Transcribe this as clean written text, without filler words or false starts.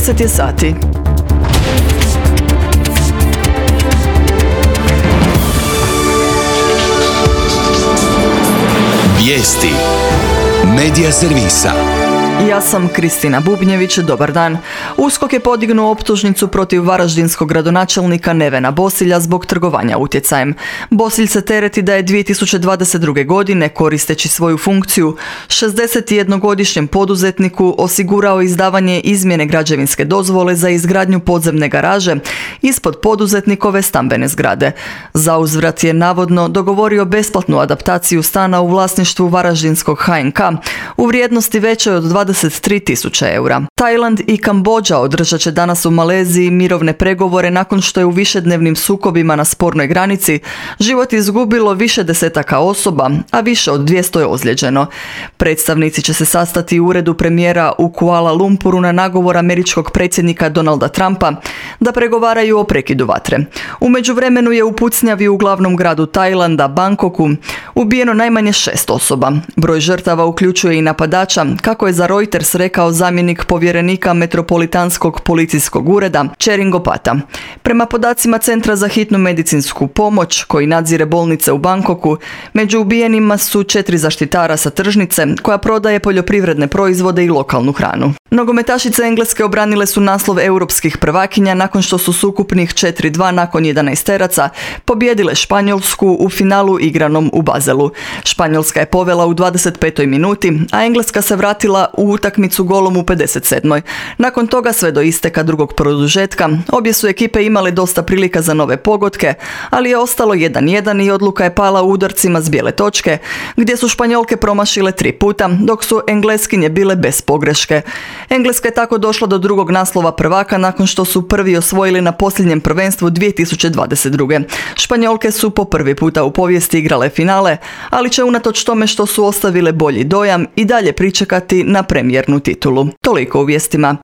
10 je sati. Vijesti Medija servisa. Ja sam Kristina Bubnjević, dobar dan. USKOK je podignuo optužnicu protiv varaždinskog gradonačelnika Nevena Bosilja zbog trgovanja utjecajem. Bosilj se tereti da je 2022. godine, koristeći svoju funkciju, 61-godišnjem poduzetniku osigurao izdavanje izmjene građevinske dozvole za izgradnju podzemne garaže ispod poduzetnikove stambene zgrade. Zauzvrat je navodno dogovorio besplatnu adaptaciju stana u vlasništvu varaždinskog HNK u vrijednosti većoj od 23.000 eura. Tajland i Kambodža održat će danas u Maleziji mirovne pregovore nakon što je u višednevnim sukobima na spornoj granici život izgubilo više desetaka osoba, a više od 200 je ozlijeđeno. Predstavnici će se sastati u uredu premijera u Kuala Lumpuru na nagovor američkog predsjednika Donalda Trumpa da pregovaraju o prekidu vatre. U međuvremenu je u pucnjavi u glavnom gradu Tajlanda, Bangkoku, ubijeno najmanje 6 osoba. Broj žrtava uključuje i napadača, kako je za Reuters rekao zamjenik povjerenika Metropolitanskog policijskog ureda Cheringopata. Prema podacima Centra za hitnu medicinsku pomoć, koji nadzire bolnice u Bangkoku, među ubijenima su 4 zaštitara sa tržnice koja prodaje poljoprivredne proizvode i lokalnu hranu. Nogometašice Engleske obranile su naslov europskih prvakinja nakon što su s ukupnih 4-2 nakon 11-teraca pobijedile Španjolsku u finalu igranom u Baselu. Španjolska je povela u 25. minuti, a Engleska se vratila u utakmicu golom u 57. Nakon toga sve do isteka drugog produžetka obje su ekipe imale dosta prilika za nove pogodke, ali je ostalo 1-1 i odluka je pala u udarcima s bijele točke, gdje su Španjolke promašile 3 puta, dok su Engleskinje bile bez pogreške. Engleska je tako došla do drugog naslova prvaka nakon što su prvi osvojili na posljednjem prvenstvu 2022. Španjolke su po prvi puta u povijesti igrale finale, ali će unatoč tome što su ostavile bolji dojam i dalje pričekati na premijernu titulu. Toliko u vijestima.